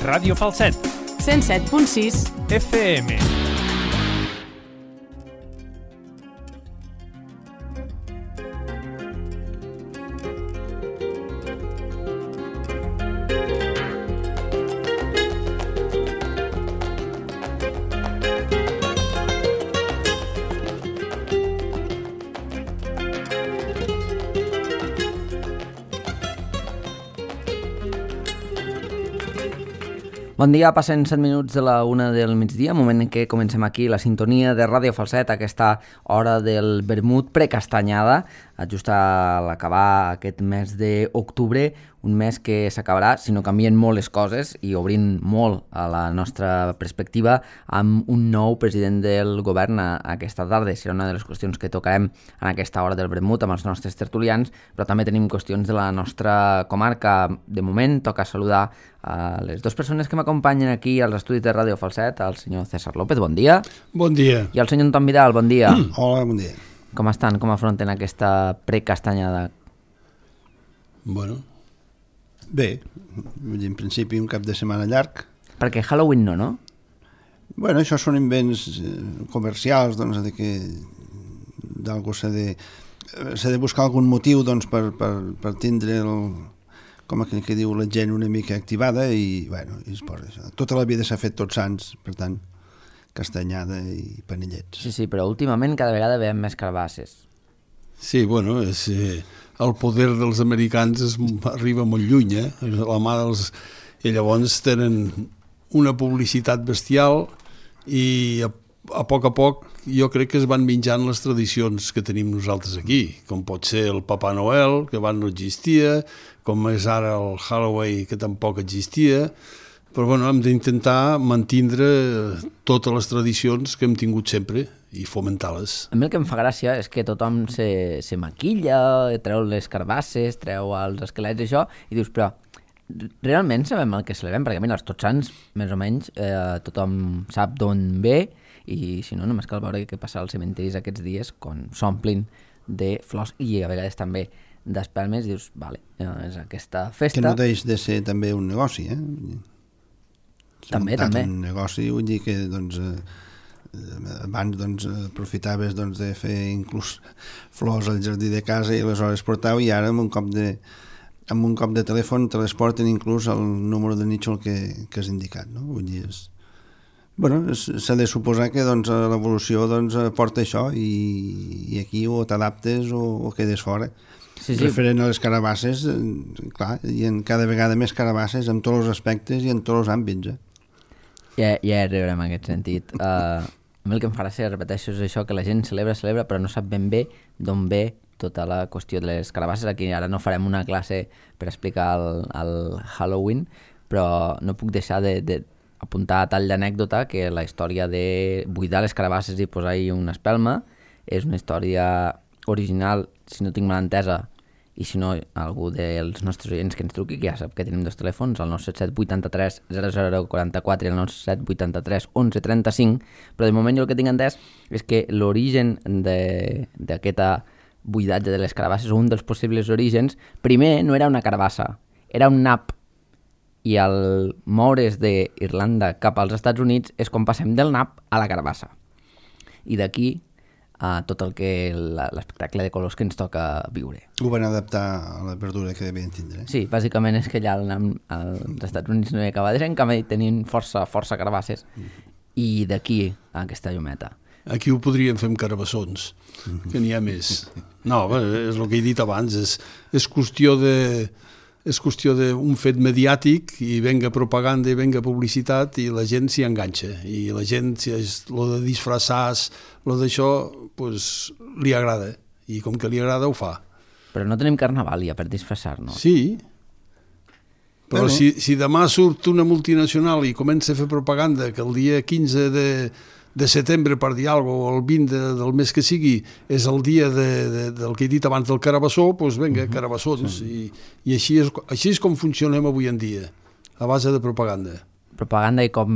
Ràdio Falset. 107.6 FM. Bon dia, passen 7 minuts de la 1 del migdia, moment en què comencem aquí la sintonia de Ràdio Falset, aquesta hora del vermut precastanyada, just a l'acabar aquest mes d'octubre, un mes que s'acabarà, si no canvien molt les coses i obrint molt a la nostra perspectiva, amb un nou president del govern aquesta tarda. Serà una de les qüestions que tocarem en aquesta hora del vermut amb els nostres tertulians, però també tenim qüestions de la nostra comarca. De moment toca saludar a les dues persones que m'acompanyen aquí als estudis de Ràdio Falset, el senyor César López, bon dia. Bon dia. I el senyor Anton Vidal, bon dia. Hola, bon dia. Com estan? Com afronten aquesta precastanyada? Bueno, bé, en principi un cap de setmana llarg. Perquè Halloween no? Bueno, això són invents comercials, doncs, de que d'algú s'ha de buscar algun motiu, doncs, per tindre com aquell que diu la gent una mica activada i, bueno, i es posa això. Tota la vida s'ha fet Tots Sants, per tant, castanyada i panellets. Sí, però últimament cada vegada veiem més carbasses. Sí, bueno, és, el poder dels americans arriba molt lluny, la mà dels... I llavors tenen una publicitat bestial i a poc jo crec que es van menjant les tradicions que tenim nosaltres aquí, com pot ser el Papa Noel, que abans no existia, com és ara el Halloween, que tampoc existia, però bueno, hem d'intentar mantindre totes les tradicions que hem tingut sempre i fomentar-les. A mi el que em fa gràcia és que tothom se maquilla, treu les carbasses, treu els esquelets i això, i dius, però realment sabem el que celebrem? Perquè mira, els Tots Sants, més o menys, tothom sap d'on ve, i si no, només cal veure què passa als cementiris aquests dies quan s'omplin de flors i a vegades també d'espelmes, i dius, vale, és aquesta festa. Que no deix de ser també un negoci, També. Un negoci, vull dir que, doncs, abans, doncs, aprofitaves, doncs, de fer inclús flors al jardí de casa i aleshores portau, i ara amb un cop de telèfon te les porten inclús el número de nítxol que has indicat, no? Vull dir, s'ha de suposar que, doncs, l'evolució, doncs, porta això i aquí o t'adaptes o quedes fora. Sí. Referent a les carabasses, clar, hi ha cada vegada més carabasses en tots els aspectes i en tots els àmbits. Ja arribarem en aquest sentit. A mi el que em fa gràcia, repeteixo, és això, que la gent celebra, però no sap ben bé d'on ve tota la qüestió de les carabasses. Aquí ara no farem una classe per explicar el Halloween, però no puc deixar d'apuntar a tall d'anècdota que la història de buidar les carabasses i posar-hi una espelma és una història original, si no tinc mal entesa, i si no, algú dels nostres oients que ens truqui, que ja sap que tenim dos telèfons, el 977 83 0044 i el 977 83 11 35, però de moment jo el que tinc entès és que l'origen d'aquesta buidatge de les carabasses, o un dels possibles orígens, primer no era una carabassa, era un nap, i al moure's d'Irlanda cap als Estats Units és quan passem del nap a la carabassa. I d'aquí tot el que l'espectacle de colors que ens toca viure. Ho van adaptar a la verdura que devien tindre. Sí, bàsicament és que allà als Estats Units no hi acaba de ser, en canvi tenien força carbasses, i d'aquí a aquesta llumeta. Aquí ho podríem fer amb carabassons, que n'hi ha més. No, és el que he dit abans, és qüestió d'un fet mediàtic i venga propaganda i venga publicitat i la gent s'hi enganxa. I la gent, lo de disfressar, lo d'això, pues, li agrada. I com que li agrada, ho fa. Però no tenim carnaval ja per disfressar-nos. Sí. Però si demà surt una multinacional i comença a fer propaganda que el dia 15 de setembre, per dir alguna cosa, o el 20 del mes que sigui, és el dia del que he dit abans del carabassó, doncs vinga, carabassons. I així és com funcionem avui en dia, a base de propaganda. Propaganda i cop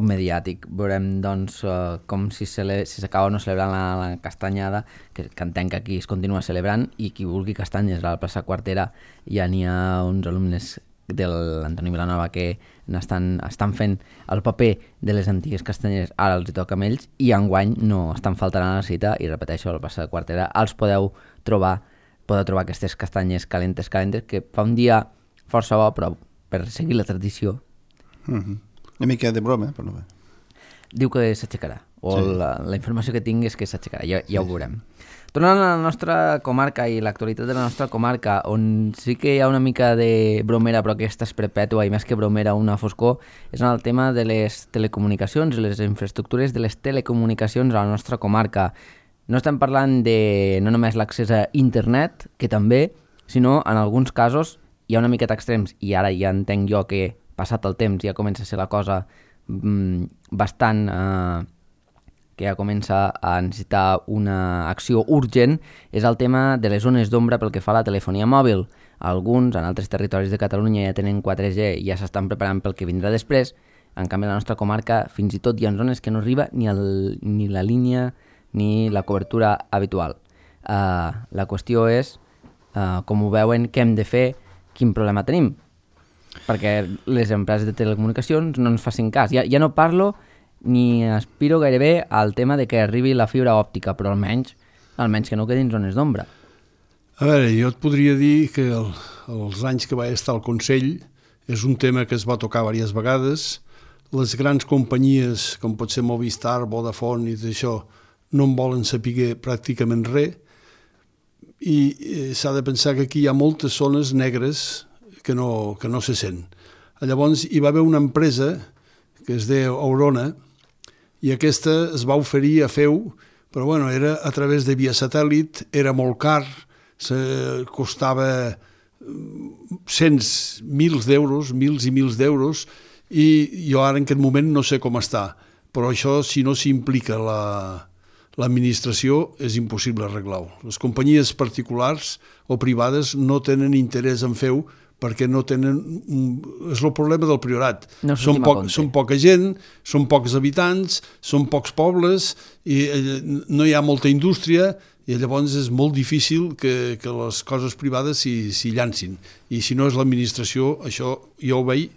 mediàtic. Veurem, doncs, com si s'acaba o no celebrant la castanyada, que entenc que aquí es continua celebrant, i qui vulgui castanyes a la plaça Quartera ja n'hi ha uns alumnes de l'Antoni Vilanova, que estan fent el paper de les antigues castanyeres, ara els hi toca amb ells, i enguany no estan faltant a la cita, i repeteixo, al Plaça de Quartera els podeu trobar aquestes castanyes calentes, que fa un dia força bo, però per seguir la tradició. Una mica de broma, però no bé. Diu que s'aixecarà, o sí. La informació que tinc és que s'aixecarà, ja ho veurem. Tornant a la nostra comarca i l'actualitat de la nostra comarca, on sí que hi ha una mica de bromera, però aquesta és perpètua i més que bromera una foscor, és en el tema de les telecomunicacions i les infraestructures de les telecomunicacions a la nostra comarca. No estem parlant de no només l'accés a internet, que també, sinó en alguns casos hi ha una miqueta extrems, i ara ja entenc jo que passat el temps ja comença a ser la cosa bastant... que ja comença a necessitar una acció urgent, és el tema de les zones d'ombra pel que fa a la telefonia mòbil. Alguns, en altres territoris de Catalunya, ja tenen 4G i ja s'estan preparant pel que vindrà després. En canvi, a la nostra comarca, fins i tot hi ha zones que no arriba ni la línia ni la cobertura habitual. La qüestió és, com ho veuen, què hem de fer, quin problema tenim. Perquè les empreses de telecomunicacions no ens facin cas. Ja no parlo ni aspiro gairebé al tema de que arribi la fibra òptica, però almenys que no quedin zones d'ombra. A veure, jo et podria dir que els anys que vaig estar al Consell és un tema que es va tocar diverses vegades. Les grans companyies, com pot ser Movistar, Vodafone i tot això, no en volen saber pràcticament res, i s'ha de pensar que aquí hi ha moltes zones negres que no se sent. Llavors hi va haver una empresa que es deia Aurona, i aquesta es va oferir a fer-ho, però bueno, era a través de via satèl·lit, era molt car, costava mils i mils d'euros, i jo ara en aquest moment no sé com està, però això si no s'implica l'administració és impossible arreglar-ho. Les companyies particulars o privades no tenen interès en fer-ho, perquè no tenen... És el problema del Priorat. Són poca gent, són pocs habitants, són pocs pobles, i no hi ha molta indústria, i llavors és molt difícil que les coses privades s'hi llancin. I si no és l'administració, això jo ho veig,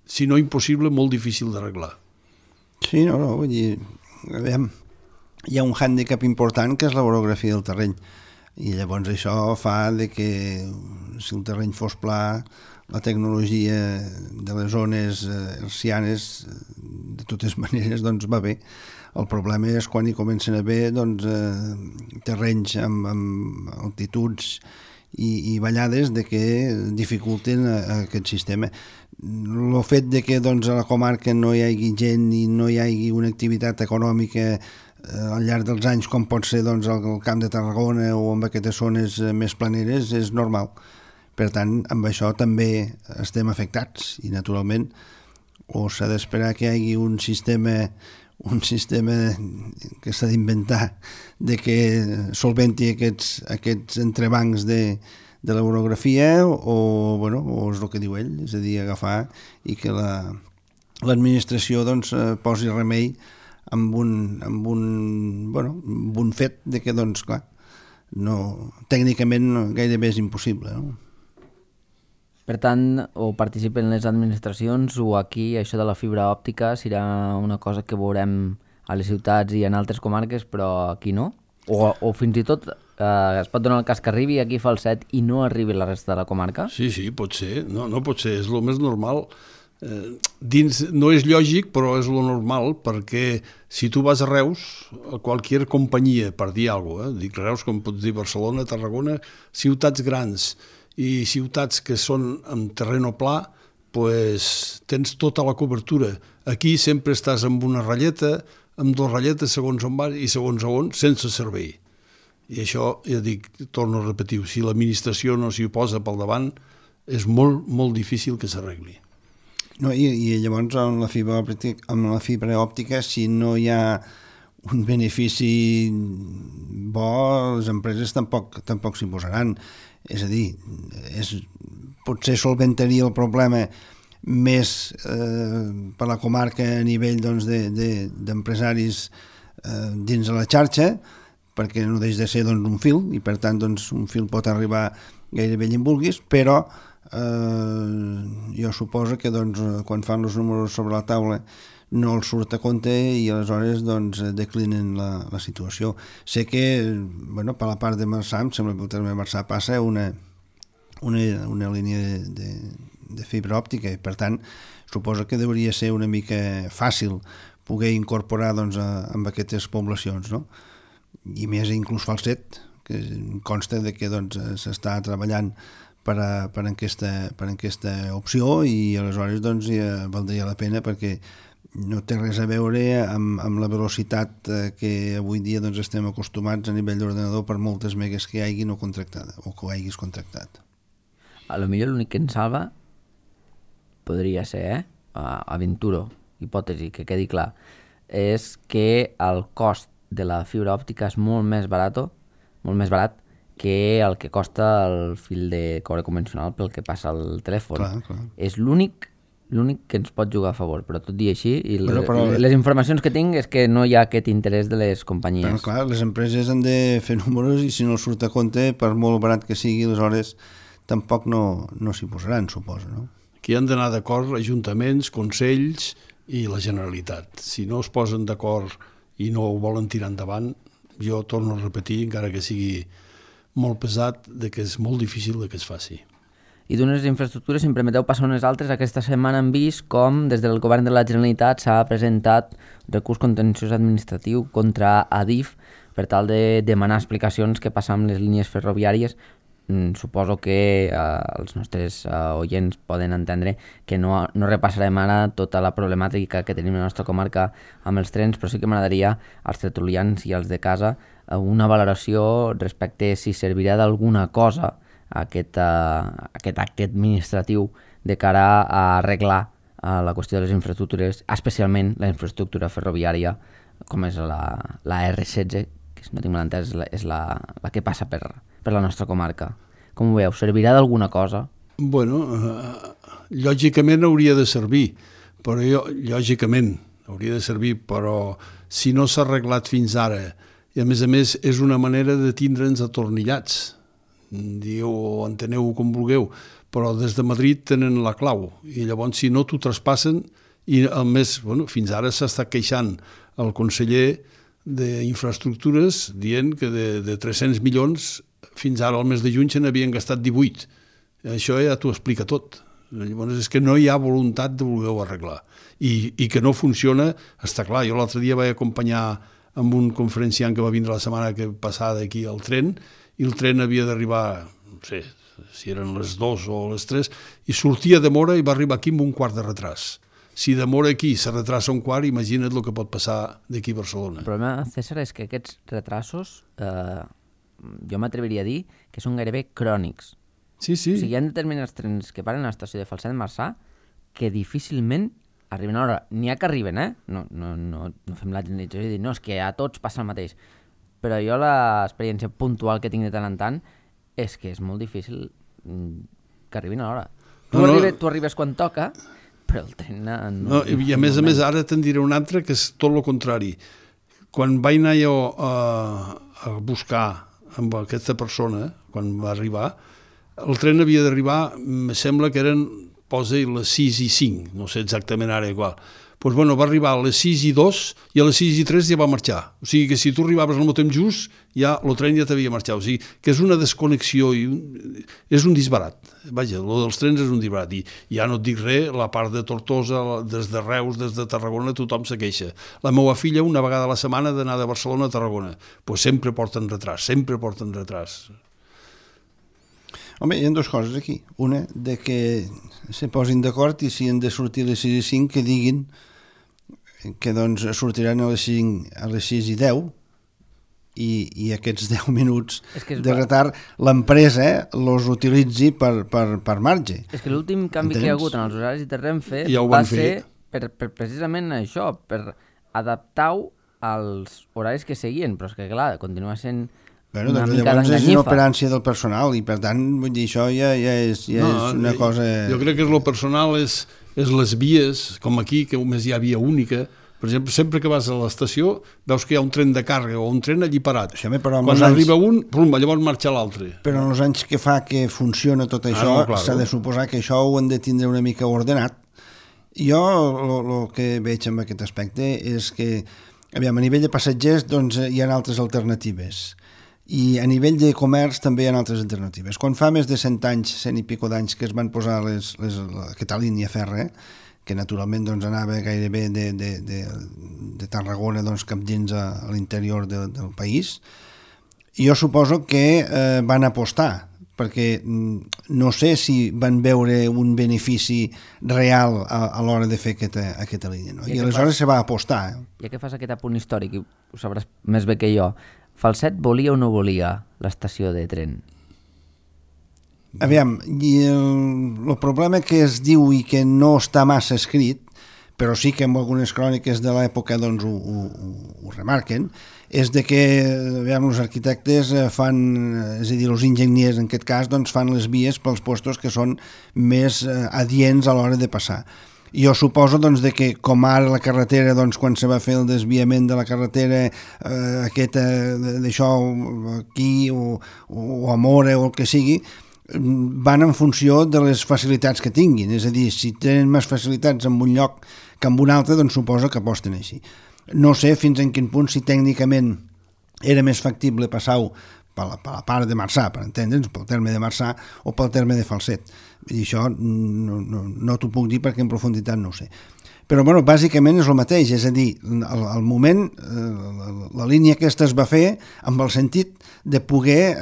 si no impossible, molt difícil d'arreglar. Sí, vull dir, aviam, hi ha un hàndicap important que és l'orografia del terreny. I llavors això fa que si el terreny fos pla, la tecnologia de les zones hertzianes de totes maneres doncs va bé. El problema és quan hi comencen a haver terrenys amb altituds i ballades que dificulten aquest sistema. El fet que a la comarca no hi hagi gent i no hi hagi una activitat econòmica al llarg dels anys, com pot ser al Camp de Tarragona o en aquestes zones més planeres, és normal. Per tant, amb això també estem afectats i, naturalment, o s'ha d'esperar que hi hagi un sistema que s'ha d'inventar que solventi aquests entrebancs de l'orografia o és el que diu ell, és a dir, agafar i que l'administració posi remei amb un fet que, clar, tècnicament gairebé és impossible. No? Per tant, o participen les administracions o aquí això de la fibra òptica serà una cosa que veurem a les ciutats i en altres comarques, però aquí no? O fins i tot es pot donar el cas que arribi aquí a Falset i no arribi a la resta de la comarca? Sí, pot ser. No pot ser, és el més normal. No és lògic, però és lo normal, perquè si tu vas a Reus, a qualsevol companyia, per dir alguna cosa, dic Reus com pots dir Barcelona, Tarragona, ciutats grans i ciutats que són en terreno pla, pues, tens tota la cobertura. Aquí sempre estàs amb una ratlleta, amb dues ratlletes segons on vas i segons on, sense servei. I això, ja dic, torno a repetir, si l'administració no s'hi posa pel davant, és molt, molt difícil que s'arregli. No, i llavors amb la fibra òptica, si no hi ha un benefici bo, les empreses tampoc s'hi posaran. És a dir, potser solventaria el problema més per la comarca a nivell d'empresaris dins de la xarxa, perquè no deixa de ser un fil, i per tant un fil pot arribar gairebé allà on vulguis, però jo suposo que doncs, quan fan els números sobre la taula no els surt a compte i aleshores doncs, declinen la situació. Sé que per la part de Marçà, em sembla que el terme Marçà passa una línia de fibra òptica i per tant suposo que hauria ser una mica fàcil poder incorporar doncs, amb aquestes poblacions, no? I més inclús Falset, que consta de que doncs, s'està treballant per aquesta opció i aleshores doncs, ja valdria la pena perquè no té res a veure amb la velocitat que avui dia doncs, estem acostumats a nivell d'ordenador per moltes megues que hi hagi no contractada o que ho hagis contractat. A lo millor l'únic que ens salva podria ser, aventuro, hipòtesi, que quedi clar, és que el cost de la fibra òptica és molt més barat que el que costa el fil de cobre convencional pel que passa al telèfon. Clar. És l'únic que ens pot jugar a favor, però tot i així, les informacions que tinc és que no hi ha aquest interès de les companyies. Però, clar, les empreses han de fer números i si no surt a compte, per molt barat que sigui, aleshores tampoc no s'hi posaran, suposo, no? Aquí han d'anar d'acord ajuntaments, consells i la Generalitat. Si no es posen d'acord i no ho volen tirar endavant, jo torno a repetir, encara que sigui molt pesat, que és molt difícil que es faci. I d'unes infraestructures, si em permeteu passar unes altres, aquesta setmana hem vist com des del govern de la Generalitat s'ha presentat recurs contenciós administratiu contra Adif per tal de demanar explicacions què passa amb les línies ferroviàries. Suposo que els nostres oients poden entendre que no repassarem ara tota la problemàtica que tenim a la nostra comarca amb els trens, però sí que m'agradaria als tertulians i als de casa una valoració respecte si servirà d'alguna cosa aquest acte administratiu de cara a arreglar la qüestió de les infraestructures, especialment la infraestructura ferroviària, com és la R16, que si no tinc mal entès és la que passa per la nostra comarca. Com ho veieu? Servirà d'alguna cosa? Bueno, lògicament hauria de servir, però si no s'ha arreglat fins ara, i a més és una manera de tindre'ns atornillats, enteneu com vulgueu, però des de Madrid tenen la clau i llavors si no t'ho traspassen i a més, fins ara s'està queixant el conseller d'Infraestructures dient que de 300 milions fins ara al mes de juny se n'havien gastat 18. Això ja t'ho explica tot. Llavors és que no hi ha voluntat de voler-ho arreglar i que no funciona, està clar. Jo l'altre dia vaig acompanyar amb un conferenciant que va vindre la setmana passada aquí al tren i el tren havia d'arribar, no sé si eren les 2 o les 3, i sortia de Mora i va arribar aquí amb un quart de retras. Si de Mora aquí se retrasa un quart, imagina't el que pot passar d'aquí a Barcelona. El problema, César, és que aquests retrasos, jo m'atreviria a dir que són gairebé crònics. Sí. O sigui, hi ha determinats trens que paren a l'estació de Falset de Marçà que difícilment arriben a l'hora. N'hi ha que arriben, No fem la generalització i dir, no, és que a tots passa el mateix. Però jo l'experiència puntual que tinc de tant en tant és que és molt difícil que arribin a l'hora. Tu arribes quan toca, però el tren no... I a més ara te'n diré un altre que és tot el contrari. Quan vaig anar jo a buscar amb aquesta persona, quan va arribar, el tren havia d'arribar, em sembla que eren, posa les 6 i 5, no sé exactament ara igual. Doncs va arribar a les 6 i 2 i a les 6 i 3 ja va marxar. O sigui que si tu arribaves al temps just, ja el tren ja t'havia marxat. O sigui que és una desconnexió i és un disbarat. Vaja, el dels trens és un disbarat. I ja no et dic res, la part de Tortosa, des de Reus, des de Tarragona, tothom se queixa. La meva filla, una vegada a la setmana, d'anar de Barcelona a Tarragona. Doncs sempre porten retras. Home, hi ha dues coses aquí. Una, de que se posin d'acord i si han de sortir a les 6 i 5, que diguin que doncs sortiran a les 6 i 10 i aquests 10 minuts de retard l'empresa els utilitzi per marge. És que l'últim canvi que hi ha hagut en els horaris de Renfe va ser per precisament això, per adaptar-ho als horaris que seguien, però és que clar, continua sent una mica llavors és d'enganyifa. inoperància del personal i per tant vull dir, això ja és una cosa... Jo crec que lo personal és les vies, com aquí, que només hi ha via única, Per exemple, sempre que vas a l'estació veus que hi ha un tren de càrrega o un tren allí parat. Sí, home, però quan arriba un, plum, llavors marxa l'altre. Però en els anys que fa que funciona tot això, s'ha de suposar que això ho han de tindre una mica ordenat. Jo el que veig en aquest aspecte és que, aviam, a nivell de passatgers doncs, hi ha altres alternatives. I a nivell de comerç també hi ha altres alternatives. Quan fa més de 100 anys, 100 i pico d'anys que es van posar aquesta línia fèrrea, que naturalment doncs, anava gairebé de Tarragona doncs, cap dins a l'interior del país, jo suposo que van apostar, perquè no sé si van veure un benefici real a l'hora de fer aquesta línia. No? I aleshores se va apostar. Ja que fas aquest apunt històric, ho sabràs més bé que jo, Falset volia o no volia l'estació de tren? Aviam, el problema que es diu i que no està massa escrit, però sí que en algunes cròniques de l'època doncs, ho remarquen, és de que aviam, els arquitectes fan, és a dir, els enginyers en aquest cas, doncs, fan les vies pels puestos que són més adients a l'hora de passar. Jo suposo doncs, de que com ara la carretera, doncs, quan se va fer el desviament de la carretera d'això aquí o a Mora o el que sigui, van en funció de les facilitats que tinguin, és a dir, si tenen més facilitats en un lloc que en un altre, doncs suposo que aposten així. No sé fins en quin punt si tècnicament era més factible passar-ho per la part de Marçà, per entendre'ns, pel terme de Marçà o pel terme de Falset. I això no t'ho puc dir perquè en profunditat no ho sé. Però, bueno, bàsicament és el mateix, és a dir, al moment la línia aquesta es va fer amb el sentit de poder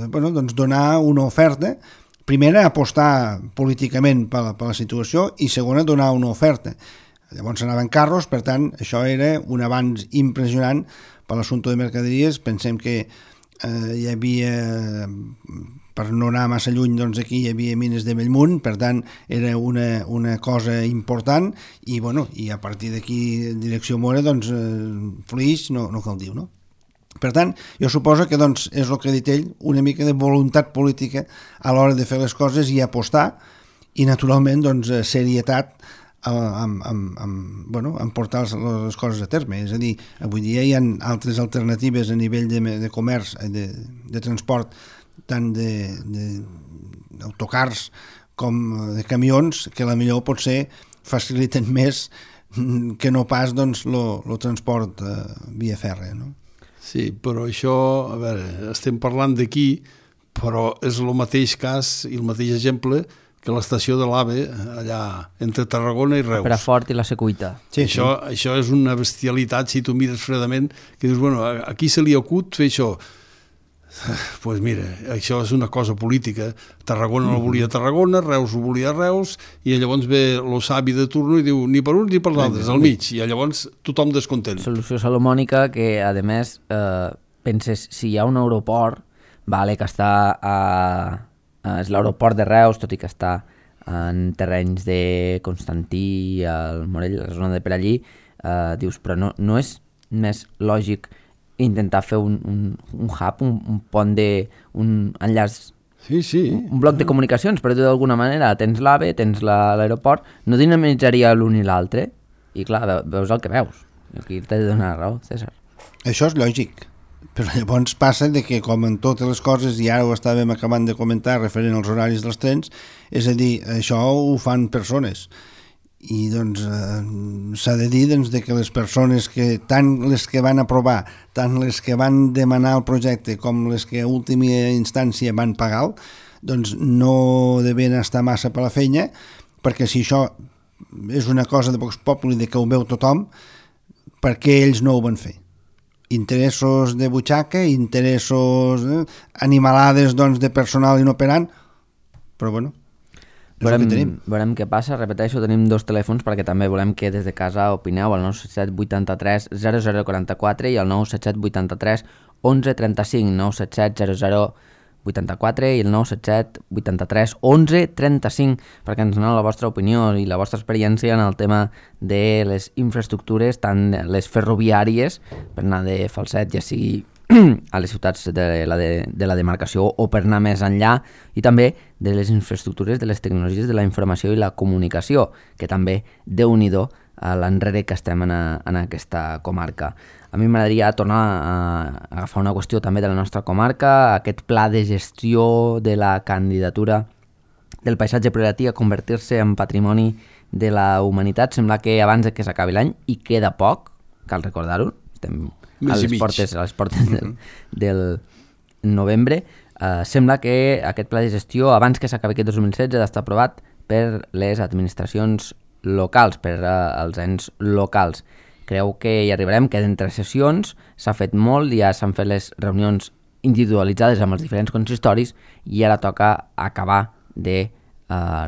doncs donar una oferta, primera, apostar políticament per la situació i segona, donar una oferta. Llavors anaven carros, per tant, això era un avanç impressionant per l'assumpte de mercaderies. Pensem que hi havia, per no anar massa lluny, doncs aquí hi havia mines de Bellmunt, per tant era una cosa important i, bueno, i a partir d'aquí en direcció Mora, doncs Flix no cal dir, no? Per tant, jo suposo que doncs, és el que ha dit ell, una mica de voluntat política a l'hora de fer les coses i apostar i naturalment doncs, serietat en portar les coses a terme. És a dir, avui dia hi ha altres alternatives a nivell de comerç, de transport, tant d'autocars com de camions, que potser potser faciliten més que no pas doncs, el transport via fèrrea, no? Sí, però això, a veure, estem parlant d'aquí, però és el mateix cas i el mateix exemple que l'estació de l'AVE, allà entre Tarragona i Reus. Perafort i la Secuita. Sí, això és una bestialitat, si tu mires fredament, que dius, bueno, aquí se li acut fer això. Doncs mira, això és una cosa política. Tarragona no volia Tarragona, Reus ho volia Reus, i llavors ve el savi de turno i diu ni per uns ni per l'altres, al mig, i llavors tothom descontent. Solució salomònica que, a més, penses, si hi ha un aeroport, vale, que està és l'aeroport de Reus, tot i que està en terrenys de Constantí, al Morell, la zona de per allí, dius, però no és més lògic intentar fer un hub, un pont un enllaç, sí. Un bloc de comunicacions, per dir d'alguna manera, tens l'AVE, tens l'aeroport, no dinamitzaria l'un i l'altre, i clar, veus el que veus. Aquí t'he de donar raó, César. Això és lògic, però llavors passa de que, com en totes les coses, i ara ho estàvem acabant de comentar referent als horaris dels trens, és a dir, això ho fan persones. I doncs s'ha de dir doncs, de que les persones que, tant les que van aprovar, tant les que van demanar el projecte com les que a última instància van pagar, doncs no devien estar massa per la feina, perquè si això és una cosa de Vox Populi, de que ho veu tothom, per què ells no ho van fer? Interessos de butxaca, interessos animalades doncs, de personal inoperant, però bueno, veurem què passa. Repeteixo, tenim 2 telèfons perquè també volem que des de casa opineu, el 977 83 0044 i el 977 83 11 35, 977 00 84 i el 977 83 11 35 perquè ens doneu la vostra opinió i la vostra experiència en el tema de les infraestructures, tant les ferroviàries per anar de Falset, ja sigui a les ciutats de la demarcació o per anar més enllà, i també de les infraestructures de les tecnologies de la informació i la comunicació, que també, Déu-n'hi-do, l'enrere que estem en aquesta comarca. A mi m'agradaria tornar a agafar una qüestió també de la nostra comarca, aquest pla de gestió de la candidatura del paisatge prioritari a convertir-se en patrimoni de la humanitat. Sembla que abans que s'acabi l'any, i queda poc, cal recordar-ho, estem a les portes del novembre, sembla que aquest pla de gestió, abans que s'acabi aquest 2016, ha d'estar aprovat per les administracions locals, per als ens locals. Creu que hi arribarem, queden 3 sessions, s'ha fet molt, ja s'han fet les reunions individualitzades amb els diferents consistoris i ara toca acabar de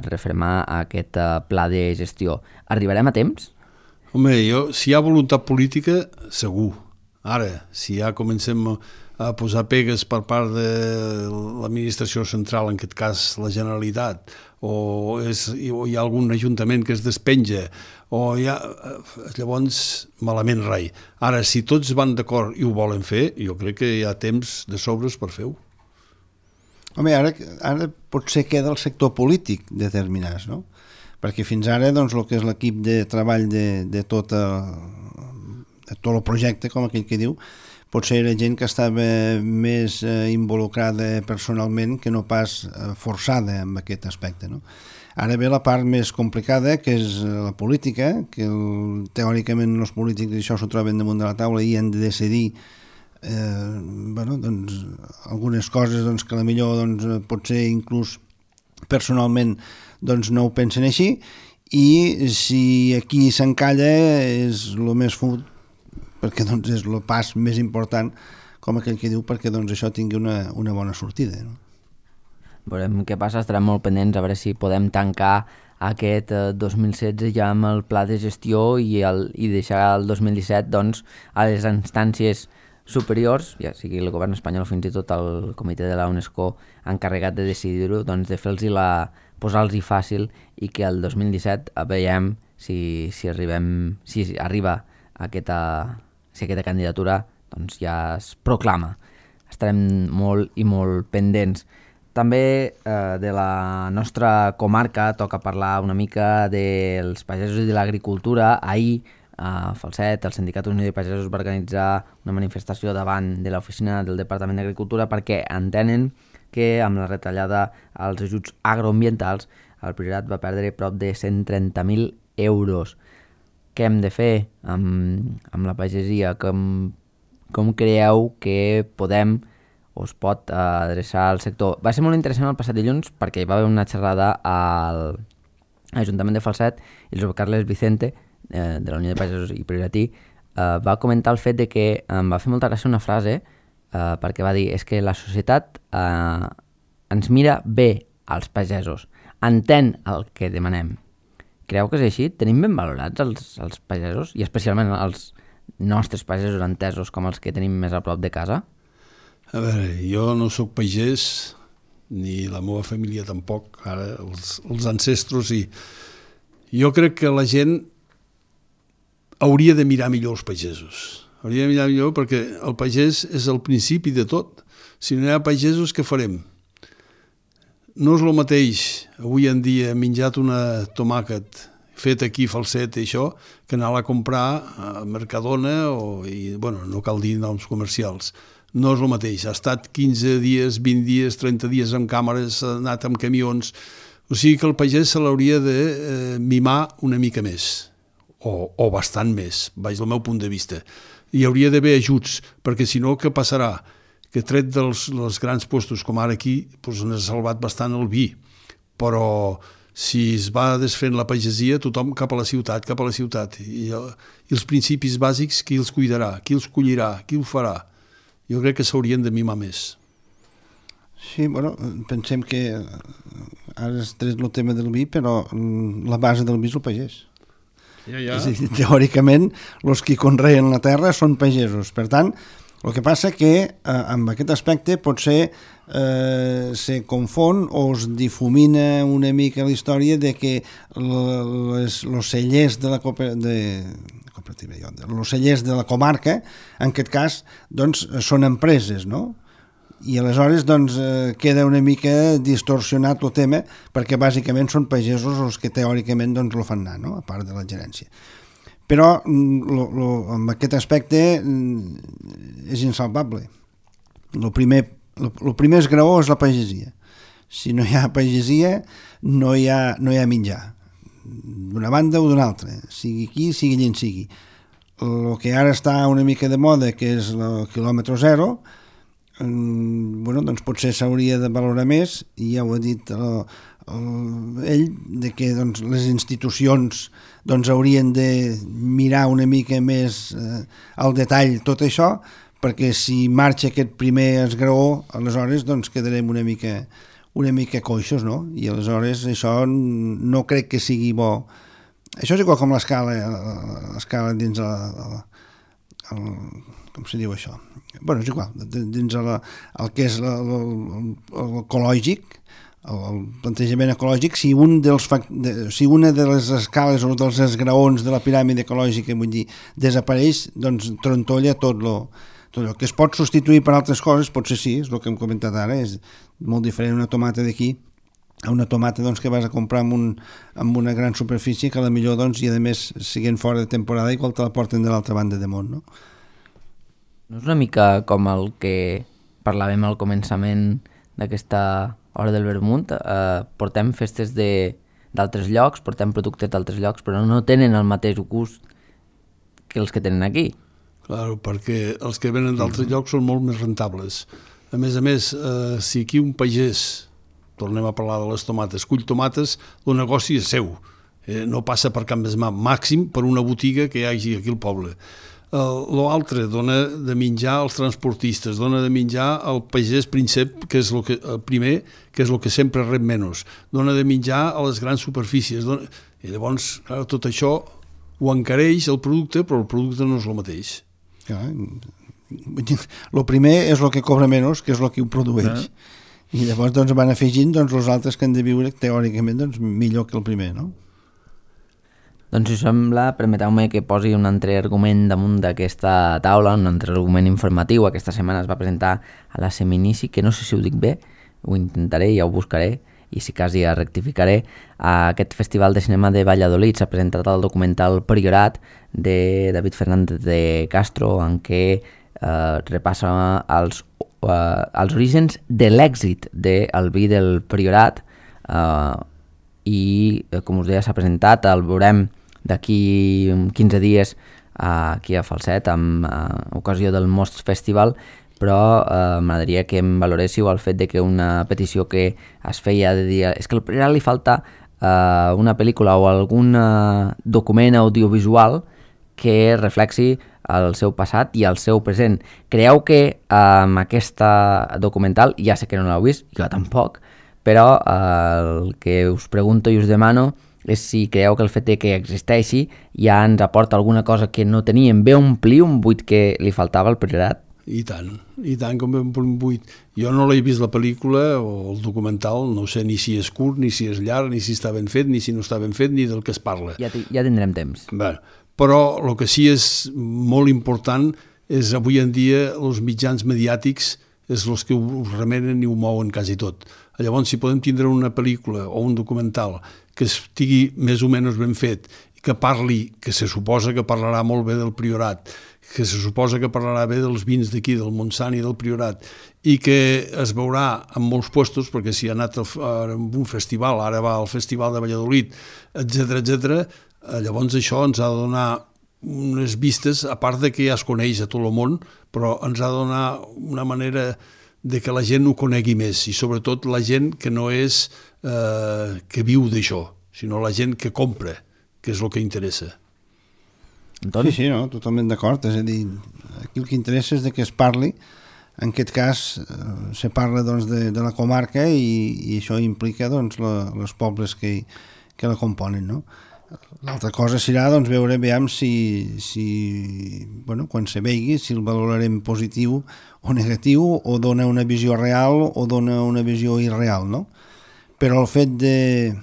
refermar aquest pla de gestió. Arribarem a temps? Home, si hi ha voluntat política, segur. Ara, si ja comencem a posar pegues per part de l'administració central, en aquest cas la Generalitat, o hi ha algun ajuntament que es despenja, llavors malament rai. Ara, si tots van d'acord i ho volen fer, jo crec que hi ha temps de sobres per fer-ho. Home, ara potser queda el sector polític determinats, no? Perquè fins ara, doncs, el que és l'equip de treball de tot el projecte, com aquell que diu, potser era gent que estava més involucrada personalment que no pas forçada en aquest aspecte, no? Ara ve la part més complicada, que és la política, que teòricament els polítics això s'ho troben damunt de la taula i han de decidir doncs, algunes coses doncs, que potser doncs, potser inclús personalment doncs, no ho pensen així, i si aquí s'encalla és el més fut, perquè doncs, és el pas més important, com aquell que diu, perquè doncs, això tingui una bona sortida, no? Veurem què passa, estarem molt pendents a veure si podem tancar aquest 2016 ja amb el pla de gestió i deixar el 2017 doncs, a les instàncies superiors, ja sigui el govern espanyol o fins i tot el comitè de la UNESCO encarregat de decidir-ho, doncs de posar-los-hi fàcil i que el 2017 veiem si arriba aquesta candidatura doncs ja es proclama. Estarem molt i molt pendents. També de la nostra comarca toca parlar una mica dels pagesos i de l'agricultura. Ahir a Falset, el Sindicat Unió de Pagesos va organitzar una manifestació davant de l'oficina del Departament d'Agricultura perquè entenen que amb la retallada als ajuts agroambientals el Priorat va perdre prop de 130.000 euros. Què hem de fer amb la pagesia? Com creieu que podem o es pot adreçar al sector? Va ser molt interessant el passat dilluns perquè hi va haver una xerrada a l'Ajuntament de Falset i el Josep Carles Vicente, de la Unió de Pagesos i Prioratí, va comentar el fet de que em va fer molta gràcia una frase perquè va dir, és que la societat ens mira bé als pagesos, entén el que demanem. Creu que és així? Tenim ben valorats els pagesos i especialment els nostres pagesos entesos com els que tenim més a prop de casa? A veure, jo no sóc pagès, ni la meva família tampoc, ara els ancestros, i jo crec que la gent hauria de mirar millor els pagesos. Hauria de mirar millor perquè el pagès és el principi de tot. Si no hi ha pagesos, què farem? No és el mateix, avui en dia, menjat una tomàquet fet aquí a Falset i això, que anar-la a comprar a Mercadona no cal dir noms comercials. No és el mateix. Ha estat 15 dies, 20 dies, 30 dies amb càmeres, ha anat amb camions. O sigui que el pagès se l'hauria de mimar una mica més, o bastant més, baix del meu punt de vista. Hi hauria d'haver ajuts, perquè si no, què passarà? Que tret dels grans postos, com ara aquí, doncs n'ha salvat bastant el vi. Però si es va desfent la pagesia, tothom cap a la ciutat. I els principis bàsics, qui els cuidarà? Qui els collirà? Qui ho farà? Jo crec que s'haurien de mimar més. Sí, pensem que ara has tret el tema del vi, però la base del vi és el pagès. Ja. És a dir, teòricament, els que conreen la terra són pagesos. Per tant, el que passa que amb aquest aspecte potser se confon o es difumina una mica la història de que els cellers de la els cellers de la comarca, en aquest cas, doncs, són empreses, no? I aleshores doncs, queda una mica distorsionat el tema perquè bàsicament són pagesos els que teòricament doncs, el fan anar, no? A part de la gerència. Però en aquest aspecte és insalvable. El primer esgraó és la pagesia. Si no hi ha pagesia, no hi ha menjar, d'una banda o d'una altra, sigui aquí, sigui allà en sigui. El que ara està una mica de moda, que és el quilòmetre zero, doncs potser s'hauria de valorar més, i ja ho ha dit ell, de que doncs, les institucions haurien de mirar una mica més al detall tot això, perquè si marxa aquest primer esgraó, aleshores quedarem una mica coixos, no? I aleshores això no crec que sigui bo. Això és igual com l'escala dins com se diu això? Bueno, és igual, dins el que és l'ecològic, el plantejament ecològic, si una de les escales o dels esgraons de la piràmide ecològica, vull dir, desapareix, doncs trontolla tot el que es pot substituir per altres coses, potser sí, és el que hem comentat ara, és molt diferent una tomata d'aquí a una tomata que vas a comprar amb una gran superfície que a millor i a més siguent fora de temporada igual te la porten de l'altra banda de món, no? No és una mica com el que parlàvem al començament d'aquesta hora del vermut? Portem festes d'altres llocs, portem productes d'altres llocs, però no tenen el mateix gust que els que tenen aquí. Claro, perquè els que venen d'altres llocs són molt més rentables. A més, si aquí un pagès, tornem a parlar de les tomates, cull tomates, el negoci és seu, no passa per cap més màxim per una botiga que hi hagi aquí al poble. L'altre dona de menjar als transportistes, dona de menjar al pagès príncep, que és el primer, que és el que sempre rep menys, dona de menjar a les grans superfícies, i llavors tot això ho encareix el producte, però el producte no és el mateix. El primer és el que cobra menys, que és el que ho produeix. I llavors van afegint els altres que han de viure teòricament millor que el primer, no? Doncs si us sembla, permeteu-me que posi un altre argument damunt d'aquesta taula, un altre argument informatiu. Aquesta setmana es va presentar a la Seminici, que no sé si ho dic bé, ho intentaré, ja ho buscaré, i si cas ja rectificaré. A aquest Festival de Cinema de Valladolid s'ha presentat el documental Priorat de David Fernández de Castro, en què repassa els orígens de l'èxit del vi del Priorat, i com us deia s'ha presentat, el veurem d'aquí 15 dies aquí a Falset amb ocasió del Most Festival, però m'agradaria que em valoréssiu el fet de que una petició que es feia de dir és que al Priorat li falta una pel·lícula o algun document audiovisual que reflexi el seu passat i el seu present. Creieu que amb aquesta documental, ja sé que no l'heu vist, jo tampoc, però el que us pregunto i us demano és si creieu que el fet que existeixi ja ens aporta alguna cosa que no teníem, ve omplir un buit que li faltava al Priorat? I tant com ve un buit. Jo no l'he vist la pel·lícula o el documental, no sé ni si és curt, ni si és llarg, ni si està ben fet, ni si no està ben fet, ni del que es parla. Ja tindrem temps. Bé, però el que sí és molt important és avui en dia els mitjans mediàtics és els que ho remenen i ho mouen quasi tot. Llavors, si podem tindre una pel·lícula o un documental que estigui més o menys ben fet, que parli, que se suposa que parlarà molt bé del Priorat, que se suposa que parlarà bé dels vins d'aquí, del Montsant i del Priorat, i que es veurà en molts puestos, perquè si ha anat a un festival, ara va al Festival de Valladolid, etc., llavors això ens ha de donar unes vistes, a part de que ja es coneix a tot el món, però ens ha de donar una manera de que la gent ho conegui més, i sobretot la gent que no és que viu d'això, sinó la gent que compra, que és el que interessa. Sí, no, totalment d'acord. És a dir, aquí el que interessa és que es parli. En aquest cas, se parla de la comarca i això implica els pobles que la componen, no? L'altra cosa serà veure quan se vegi, si el valorarem positiu o negatiu, o dona una visió real o dona una visió irreal, no? Però el fet de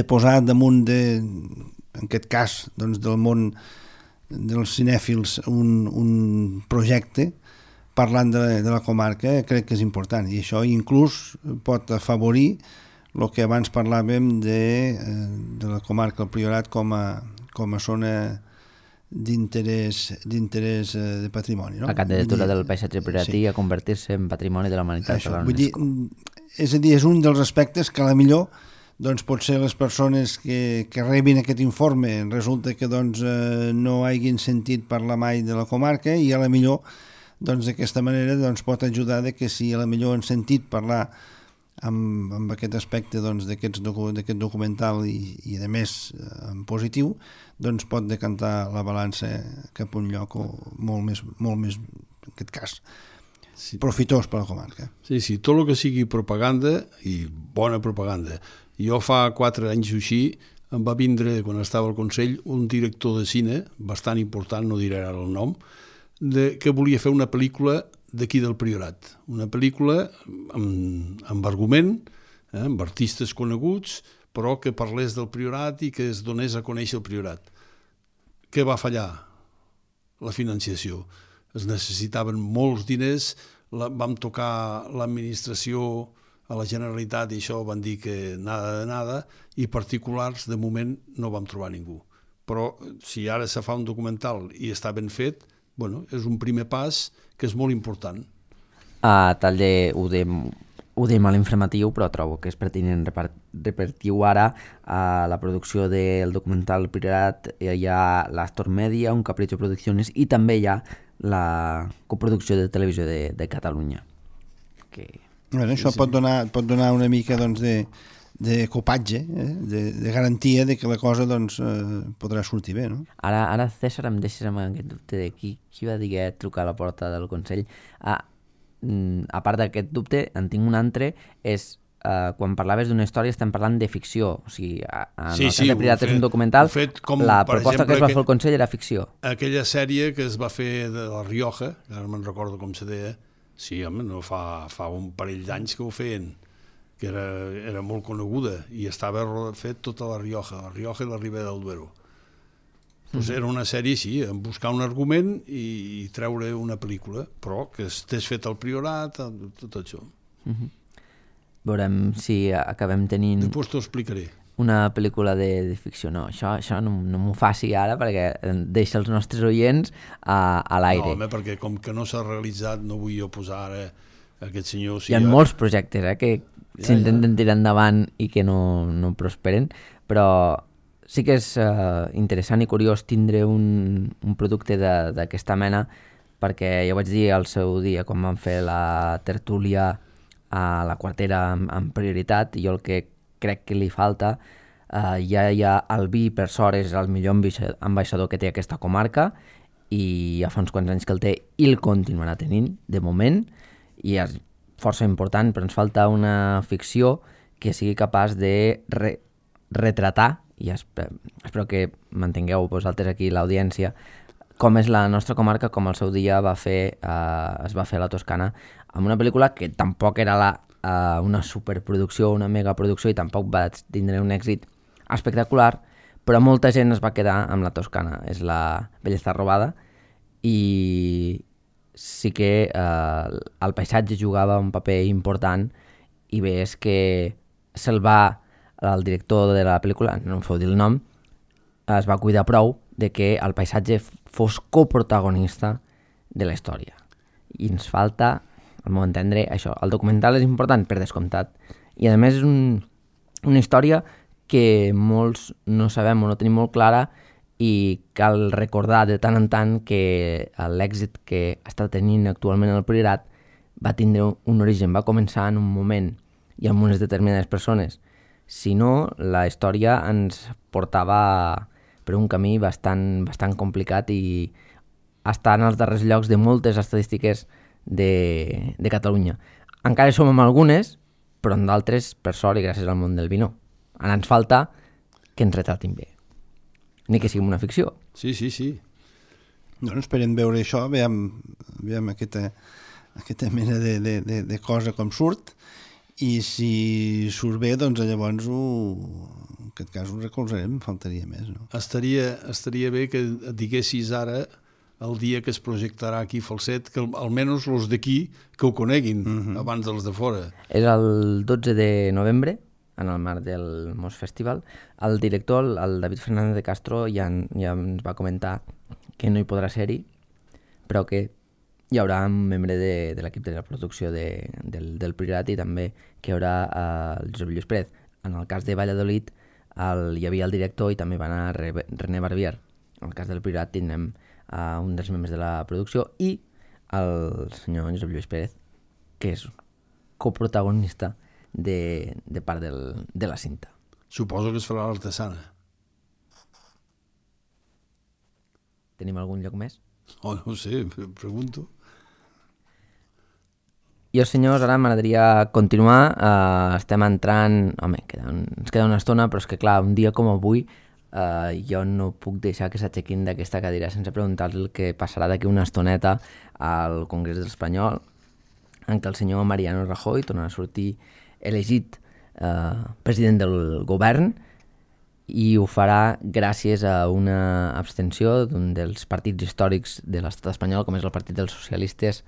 posar damunt en aquest cas del món dels cinèfils un projecte parlant de la comarca crec que és important, i això inclús pot afavorir el que abans parlàvem de la comarca del Priorat com a zona d'interès de patrimoni. No? La candidatura del paisatge priratí a convertir-se en patrimoni de la humanitat. Això, vull dir, és a dir, és un dels aspectes que a la millor doncs potser les persones que rebin aquest informe resulta que doncs, no hagin sentit parlar mai de la comarca i a la millor doncs, d'aquesta manera doncs, pot ajudar de que si a la millor han sentit parlar amb aquest aspecte doncs, d'aquest documental i a més en positiu, doncs pot decantar la balança cap a un lloc molt més, en aquest cas, profitós per a la comarca. Sí, tot el que sigui propaganda i bona propaganda. Jo fa 4 anys o així em va vindre, quan estava al Consell, un director de cine, bastant important, no diré ara el nom, que volia fer una pel·lícula d'aquí del Priorat. Una pel·lícula amb argument, amb artistes coneguts, però que parlés del Priorat i que es donés a conèixer el Priorat. Què va fallar? La financiació. Es necessitaven molts diners, vam tocar l'administració a la Generalitat i això van dir que nada de nada, i particulars de moment no vam trobar ningú. Però si ara se fa un documental i està ben fet, bueno, és un primer pas que és molt important. Ho dèiem a l'informatiu, però trobo que és pertinent repartir-ho ara a la producció del documental Priorat. Hi ha l'Astor Media, un Capricho Producciones, i també hi ha la coproducció de Televisió de Catalunya. Bueno, això pot donar una mica doncs, de copatge, de garantia de que la cosa doncs, podrà sortir bé. No? Ara, César, em deixes amb aquest dubte de qui va dir trucar a la porta del Consell. A part d'aquest dubte, en tinc un altre, és quan parlaves d'una història estem parlant de ficció. O sigui, en el cas de Priorat és un documental, la proposta que es va fer al Consell era ficció. Aquella sèrie que es va fer de La Rioja, ara me'n recordo com se deia, sí, home, no fa un parell d'anys que ho feien, que era molt coneguda i estava fet tota La Rioja i la Ribera del Duero. Pues era una sèrie així, en buscar un argument i treure una pel·lícula, però que estés fet al Priorat, tot això. Veurem si acabem tenint... Després t'ho explicaré. Una pel·lícula de ficció. No, això no m'ho faci ara perquè deixa els nostres oients a l'aire. No, home, perquè com que no s'ha realitzat no vull jo posar ara aquest senyor... Hi ha molts projectes que s'intenten tirar endavant i que no prosperen, però sí que és interessant i curiós tindre un producte d'aquesta mena, perquè ja ho vaig dir al seu dia quan vam fer la tertúlia a la Quartera amb prioritat, i jo el que crec que li falta, ja hi ha el vi per sort, és el millor ambaixador que té aquesta comarca, i ja fa uns quants anys que el té i el continuarà tenint, de moment, i és força important, però ens falta una ficció que sigui capaç de retratar, i espero que mantingueu vosaltres aquí l'audiència, com és la nostra comarca, com al seu dia es va fer a la Toscana, amb una pel·lícula que tampoc era una superproducció, una megaproducció, i tampoc va tindre un èxit espectacular, però molta gent es va quedar amb la Toscana. És La bellesa robada, i sí que el paisatge jugava un paper important, i bé, és que el director de la pel·lícula, no em feu dir el nom, es va cuidar prou de que el paisatge fos coprotagonista de la història. I ens falta, al meu entendre, això. El documental és important, per descomptat, i a més és una història que molts no sabem o no tenim molt clara, i cal recordar de tant en tant que l'èxit que està tenint actualment el Priorat va tindre un origen, va començar en un moment i amb unes determinades persones. Si no, la història ens portava per un camí bastant complicat i està en els darrers llocs de moltes estadístiques de Catalunya. Encara som amb algunes, però en d'altres, per sort i gràcies al món del vi, no. Ara ens falta que ens retratin bé. Ni que sigui una ficció. Sí. Doncs esperem veure això, veiem aquesta mena de cosa com surt, i si surt bé, doncs llavors en aquest cas ho recolzarem, faltaria més, no? Estaria bé que et diguessis ara el dia que es projectarà aquí Falset, que almenys els d'aquí que ho coneguin abans dels de fora. És el 12 de novembre, en el marc del Mos Festival. El director, el David Fernández de Castro, ja ens va comentar que no hi podrà ser-hi, però que hi haurà un membre de l'equip de la producció del Priorat i també que hi haurà el Josep Lluís Pérez. En el cas de Valladolid hi havia el director i també va anar René Barbier. En el cas del Priorat tindrem un dels membres de la producció i el senyor Josep Lluís Pérez, que és coprotagonista de part de la cinta. Suposo que es farà l'artesana. Tenim algun lloc més? Oh, no ho sé, pregunto. Jo, senyors, ara m'agradaria continuar. Estem entrant... Home, ens queda una estona, però és que, clar, un dia com avui jo no puc deixar que s'aixequin d'aquesta cadira sense preguntar-los el que passarà d'aquí una estoneta al Congrés Espanyol, en què el senyor Mariano Rajoy tornarà a sortir elegit president del govern i ho farà gràcies a una abstenció d'un dels partits històrics de l'estat espanyol, com és el Partit dels Socialistes,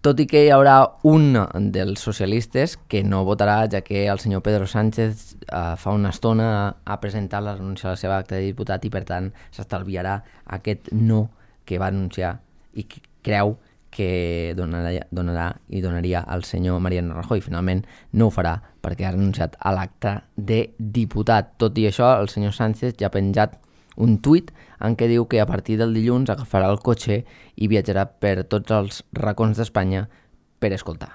tot i que hi haurà un dels socialistes que no votarà, ja que el senyor Pedro Sánchez fa una estona ha presentat la renúncia a la seva acta de diputat i per tant s'estalviarà aquest no que va anunciar i que creu que donaria al senyor Mariano Rajoy. Finalment no ho farà perquè ha renunciat a l'acte de diputat. Tot i això, el senyor Sánchez ja ha penjat un tuit en què diu que a partir del dilluns agafarà el cotxe i viatjarà per tots els racons d'Espanya per escoltar.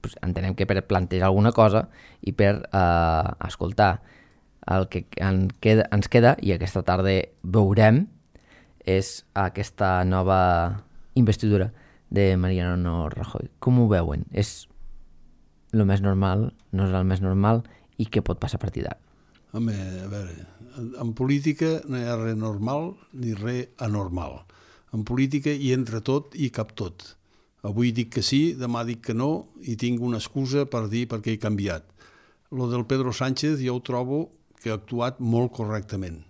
Pues entenem que per plantejar alguna cosa i per escoltar. El que ens queda, i aquesta tarda veurem, és aquesta nova investidura de Mariano Rajoy. Com ho veuen? És el més normal? No és el més normal? I què pot passar a partir d'ara? Home, a veure, en política no hi ha res normal ni res anormal. En política hi entra tot i cap tot. Avui dic que sí, demà dic que no i tinc una excusa per dir per què he canviat. Lo del Pedro Sánchez jo ho trobo que ha actuat molt correctament.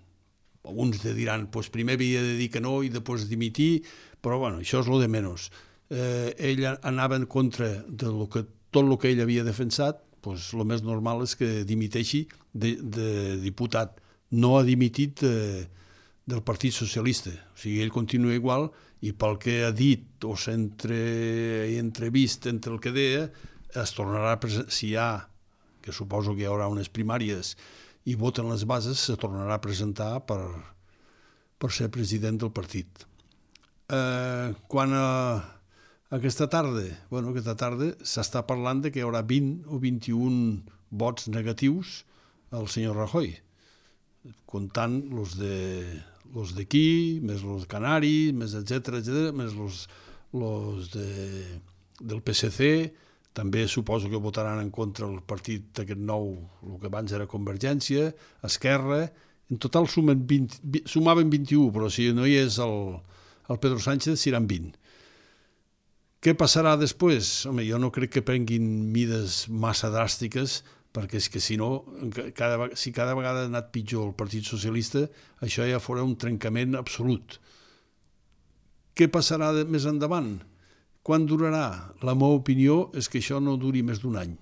Alguns diran, pues primer havia de dir que no i després dimitir, però bueno, això és lo de menys. Ell anava en contra de tot el que ell havia defensat, pues el més normal és que dimiteixi de diputat. No ha dimitit del Partit Socialista. O sigui, ell continua igual i pel que ha dit o s'ha entrevist entre el que deia, es tornarà a presentar, si hi ha, que suposo que hi haurà unes primàries i voten les bases, se tornarà a presentar per ser president del partit. Quan aquesta tarda s'està parlant de que hi haurà 20 o 21 vots negatius al senyor Rajoy, comptant los d'aquí, més los canaris, més etcètera, més los del PSC, també suposo que votaran en contra el partit aquest nou, el que abans era Convergència, Esquerra, en total sumaven 21, però si no hi és el Pedro Sánchez seran 20. Què passarà després? Home, jo no crec que prenguin mides massa dràstiques, perquè és que si no, si cada vegada ha anat pitjor el Partit Socialista, això ja farà un trencament absolut. Què passarà més endavant? Quan durarà? La meva opinió és que això no duri més d'un any.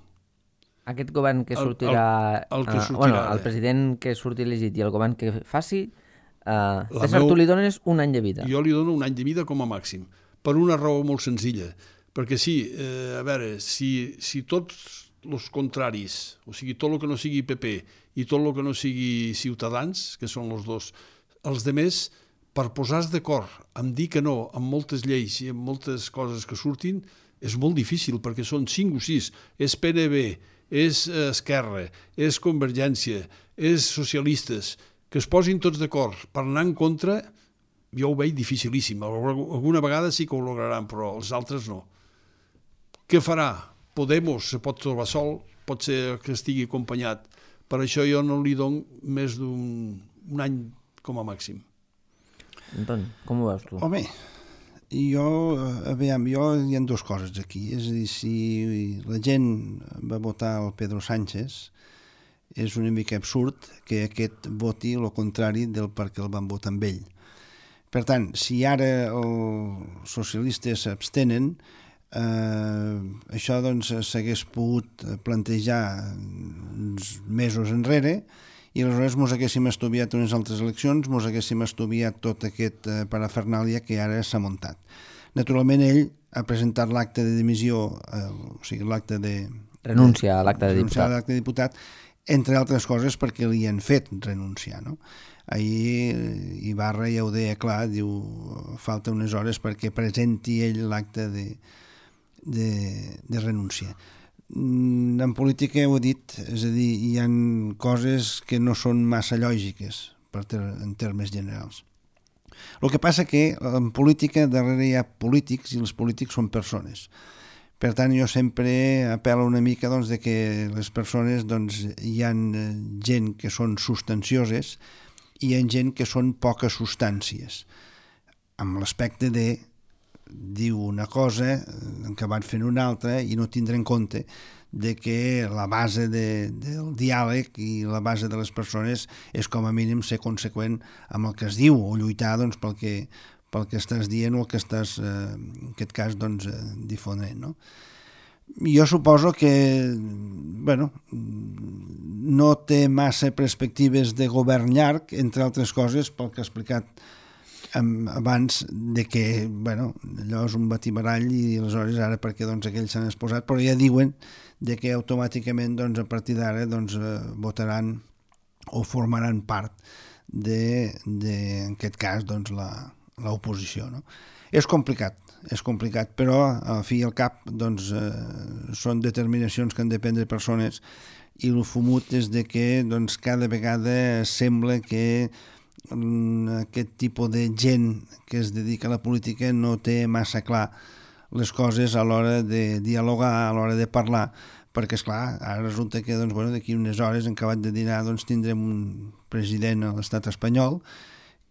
Aquest govern que sortirà... El president que surti elegit i el govern que faci, César, tu li dones un any de vida. Jo li dono un any de vida com a màxim, per una raó molt senzilla, perquè sí, a veure, si tots els contraris, o sigui, tot el que no sigui PP i tot el que no sigui Ciutadans, que són els dos, els demés, per posar-se d'acord en dir que no en moltes lleis i en moltes coses que surtin, és molt difícil, perquè són 5 o 6, és PNB, és Esquerra, és Convergència, és socialistes, que es posin tots d'acord per anar en contra, jo ho veig dificilíssim. Alguna vegada sí que ho lograran, però els altres no. Què farà? Podemos se pot trobar sol, pot ser que estigui acompanyat. Per això jo no li dono més d'un any com a màxim. Antoni, com ho veus tu? Home, hi ha dues coses aquí. És a dir, si la gent va votar el Pedro Sánchez, és una mica absurd que aquest voti el contrari del perquè el van votar amb ell. Per tant, si ara els socialistes s'abstenen, això doncs s'hagués pogut plantejar uns mesos enrere i aleshores mos haguéssim estudiat unes altres eleccions, mos haguéssim estudiat tot aquest parafernàlia que ara s'ha muntat. Naturalment, ell ha presentat l'acte de dimissió, o sigui, l'acte de... Renuncia a l'acte de renunciar diputat. a l'acte de diputat, entre altres coses perquè li han fet renunciar, no? Ahir Ibarra ja ho deia clar, diu, falta unes hores perquè presenti ell l'acte de renúncia. En política ho he dit, és a dir, hi ha coses que no són massa lògiques en termes generals. El que passa que en política darrere hi ha polítics i els polítics són persones. Per tant, jo sempre apel·lo una mica doncs, de que les persones doncs, hi ha gent que són substancioses i hi ha gent que són poques substàncies, amb l'aspecte de dir una cosa, acabar fent una altra i no tindre en compte de que la base del diàleg i la base de les persones és com a mínim ser conseqüent amb el que es diu o lluitar doncs, pel que estàs dient o el que estàs, en aquest cas, doncs, difonent, no? Jo suposo que, bueno, no té massa perspectives de govern llarg, entre altres coses, pel que ha explicat abans, de que, bueno, allò és un batibarall i aleshores ara perquè doncs, aquells s'han exposat, però ja diuen de que automàticament doncs, a partir d'ara doncs, votaran o formaran part en aquest cas, doncs, l'oposició, no? És complicat, però al fi i al cap doncs, són determinacions que han de prendre persones i el fumut és de que doncs, cada vegada sembla que aquest tipus de gent que es dedica a la política no té massa clar les coses a l'hora de dialogar, a l'hora de parlar, perquè, esclar, ara resulta que doncs, bueno, d'aquí unes hores, en acabat de dinar, doncs, tindrem un president a l'estat espanyol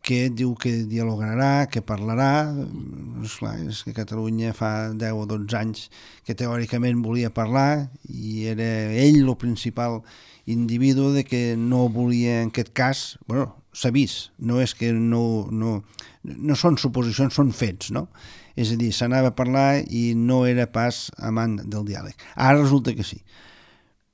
que diu que dialogarà, que parlarà. Esclar, és que Catalunya fa 10 o 12 anys que teòricament volia parlar i era ell el principal individu de que no volia, en aquest cas, bueno, s'ha vist, no és que no són suposicions, són fets, no? És a dir, s'anava a parlar i no era pas amant del diàleg. Ara resulta que sí.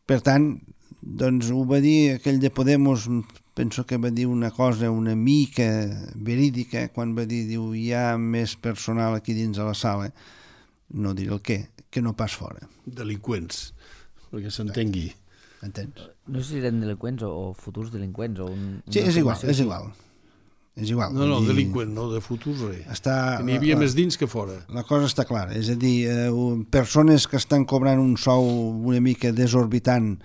Per tant, doncs ho va dir aquell de Podemos, penso que va dir una cosa una mica verídica, quan va dir, diu, hi ha més personal aquí dins de la sala, no diré el què, que no pas fora. Delinqüents, perquè s'entengui. Entens? No sé si eren delinqüents o futurs delinqüents. Sí, és igual. No, delinqüent, no, de futurs res. Que n'hi havia més dins que fora. La cosa està clara, és a dir, persones que estan cobrant un sou una mica desorbitant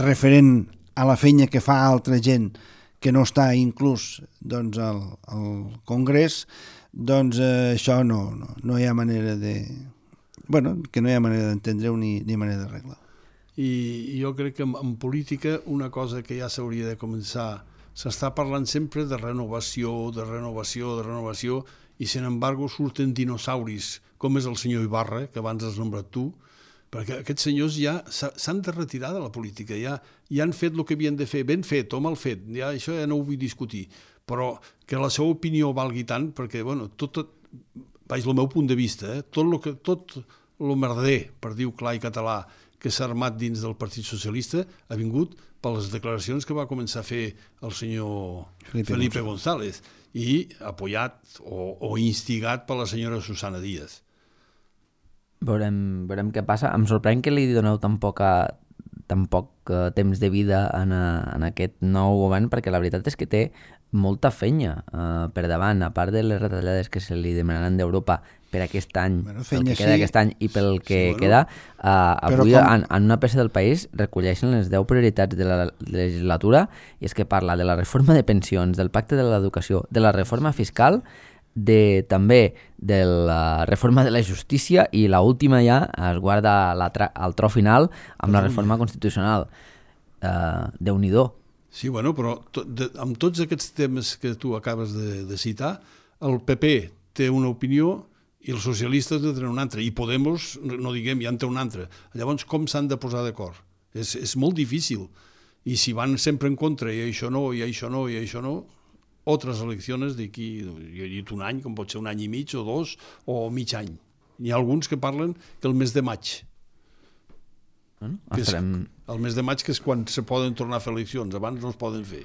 referent a la feina que fa altra gent que no està inclús doncs, al Congrés, doncs això no hi ha manera de... Bueno, que no hi ha manera d'entendre-ho ni manera d'arreglar. I jo crec que en política una cosa que ja s'hauria de començar, s'està parlant sempre de renovació, i sin embargo surten dinosauris, com és el senyor Ibarra, que abans has nombrat tu, perquè aquests senyors ja s'han de retirar de la política, ja han fet el que havien de fer, ben fet o mal fet, ja això ja no ho vull discutir, però que la seva opinió valgui tant, perquè, bueno, vaig el meu punt de vista, tot el merder, per dir-ho clar i català, que s'ha armat dins del Partit Socialista ha vingut per les declaracions que va començar a fer el senyor Felipe González i apoyat o instigat per la senyora Susana Díaz. Veurem què passa. Em sorprèn que li doneu tan poc temps de vida en aquest nou govern, perquè la veritat és que té molta feina per davant, a part de les retallades que se li demanaran d'Europa per aquest any, pel que queda aquest any i pel que queda, avui en una peça del país recolleixen les 10 prioritats de la legislatura, i és que parla de la reforma de pensions, del pacte de l'educació, de la reforma fiscal, també de la reforma de la justícia, i l'última ja es guarda al tro final amb la reforma constitucional. Déu-n'hi-do. Sí, bueno, però amb tots aquests temes que tu acabes de citar, el PP té una opinió i els socialistes en tenen una altra, i Podemos, no diguem, ja en té una altra. Llavors, com s'han de posar d'acord? És molt difícil. I si van sempre en contra, i això no, altres eleccions d'aquí, jo he dit un any, com pot ser un any i mig o 2, o mig any. Hi ha alguns que parlen que el mes de maig. El mes de maig, que és quan se poden tornar a fer eleccions, abans no es poden fer.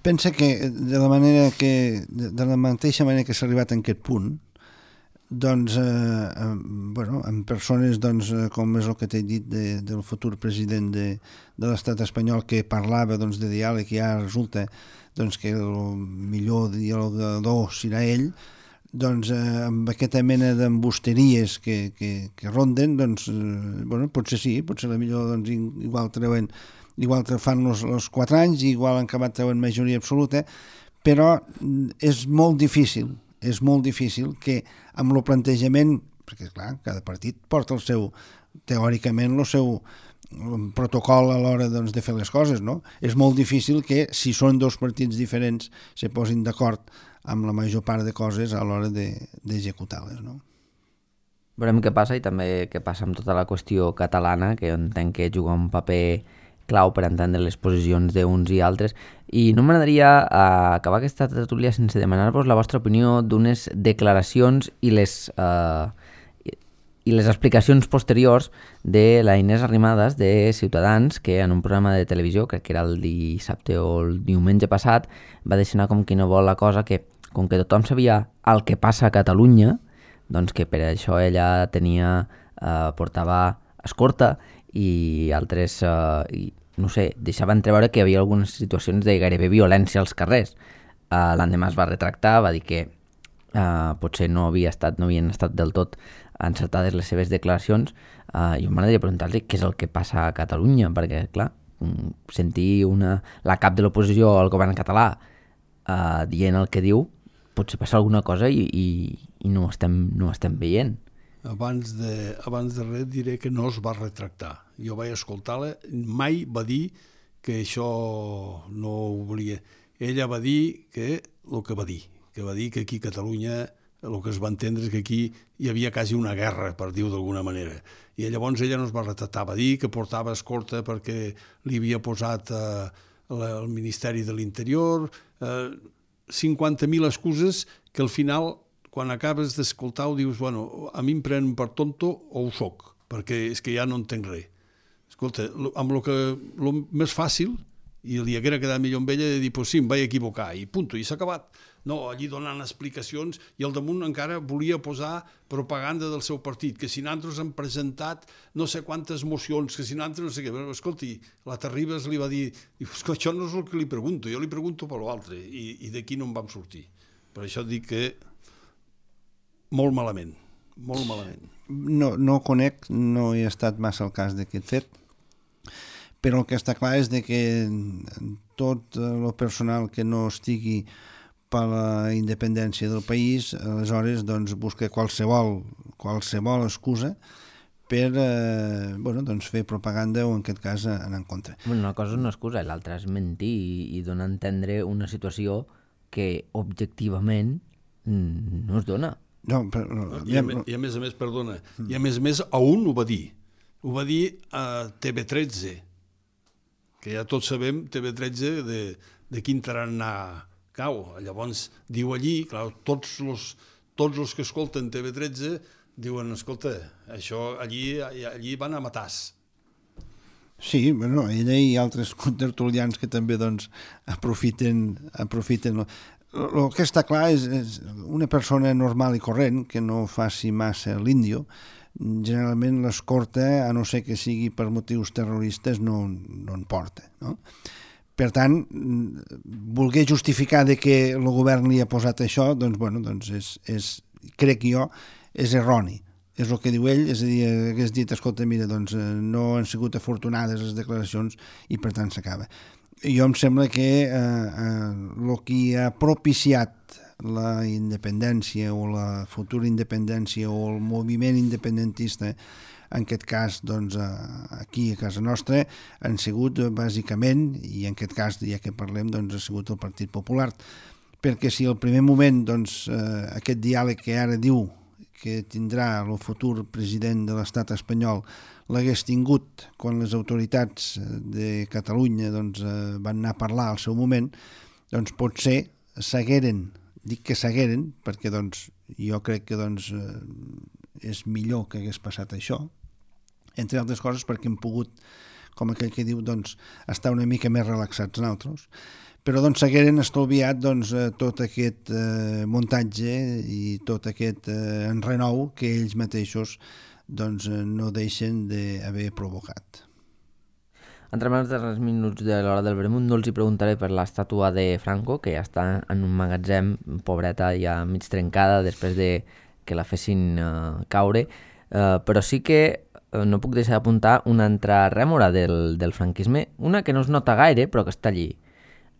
Pensa que de la mateixa manera que s'ha arribat a aquest punt, doncs, amb persones com és el que t'he dit del futur president de l'estat espanyol, que parlava de diàleg, i ara resulta que el millor dialogador serà ell, amb aquesta mena d'embusteries que ronden, potser sí, potser la millor igual fan els 4 anys, igual han acabat treuen majoria absoluta, però és molt difícil que amb el plantejament, perquè clar, cada partit porta teòricament el seu protocol a l'hora de fer les coses, no? És molt difícil que, si són 2 partits diferents, se posin d'acord amb la major part de coses a l'hora d'executar-les, no? Veurem què passa, i també què passa amb tota la qüestió catalana, que entenc que juga un paper clau per entendre les posicions d'uns i altres. I no m'agradaria acabar aquesta tertúlia sense demanar-vos la vostra opinió d'unes declaracions i les explicacions posteriors de la Inés Arrimadas de Ciutadans, que en un programa de televisió, crec que era el dissabte o el diumenge passat, va deixar anar com qui no vol la cosa, que com que tothom sabia el que passa a Catalunya, doncs que per això ella portava escorta i altres, no sé, deixava entreveure que hi havia algunes situacions de gairebé violència als carrers. L'endemà es va retractar, va dir que potser no havien estat del tot encertades les seves declaracions. Jo m'agradaria preguntar-li què és el que passa a Catalunya, perquè, clar, sentir la cap de l'oposició al govern català dient el que diu, potser passa alguna cosa i no ho estem veient. Abans de res diré que no es va retractar. Jo vaig escoltar-la, mai va dir que això no ho volia. Ella va dir que el que va dir que aquí a Catalunya el que es va entendre és que aquí hi havia quasi una guerra, per dir-ho d'alguna manera. I llavors ella no es va retractar, va dir que portava escorta perquè li havia posat el Ministeri de l'Interior, 50.000 excuses que al final, quan acabes d'escoltar, ho dius, bueno, a mi em prenen per tonto o ho soc, perquè és que ja no entenc res. Escolta, amb el més fàcil, i li haguera quedat millor amb ella, de dir, pues sí, em vaig equivocar, i punto, i s'ha acabat. No, allí donant explicacions, i al damunt encara volia posar propaganda del seu partit, que si nosaltres hem presentat no sé quantes mocions, que si nosaltres no sé què. Però, escolti, la Terribas li va dir, això no és el que li pregunto, jo li pregunto per l'altre, i d'aquí no en vam sortir. Per això dic que molt malament. No conec, no he estat massa al cas d'aquest fet, però el que està clar és que tot el personal que no estigui per la independència del país, aleshores busca qualsevol excusa per fer propaganda, o en aquest cas anar en contra. Una cosa és una excusa, l'altra és mentir i donar a entendre una situació que objectivament no es dona. No, I a més, perdona, i a més a un ho va dir a TV13, que ja tots sabem TV13 de quin tarannà cau. Llavors diu allí, clar, tots els que escolten TV13 diuen, escolta, això allí van a matars. Sí, bueno, ella i altres contertulians que també aprofiten. El que està clar és una persona normal i corrent que no faci massa l'índio, generalment l'escorta, a no ser que sigui per motius terroristes, no en porta, no? Per tant, voler justificar que el govern li ha posat això, crec jo, és erroni. És el que diu ell, és a dir, hagués dit, escolta, mira, no han sigut afortunades les declaracions i per tant s'acaba. Jo em sembla que el que ha propiciat la independència o la futura independència o el moviment independentista, en aquest cas aquí a casa nostra, han sigut bàsicament, i en aquest cas ja que parlem, ha sigut el Partit Popular, perquè si al primer moment aquest diàleg que ara diu que tindrà el futur president de l'estat espanyol l'hagués tingut quan les autoritats de Catalunya van anar a parlar al seu moment, potser s'hagueren, dic que s'hagueren, perquè jo crec que és millor que hagués passat això, entre altres coses perquè hem pogut com aquell que diu, doncs, estar una mica més relaxats nosaltres. Però doncs s'hagueren estalviat tot aquest muntatge i tot aquest enrenou que ells mateixos no deixen d'haver provocat. Entrem als darrers minuts de l'hora del vermut. No els hi preguntaré per l'estàtua de Franco, que ja està en un magatzem, pobreta, ja mig trencada després de que la fessin caure, però sí que no puc deixar d'apuntar una altra rèmora del franquisme, una que no es nota gaire però que està allí.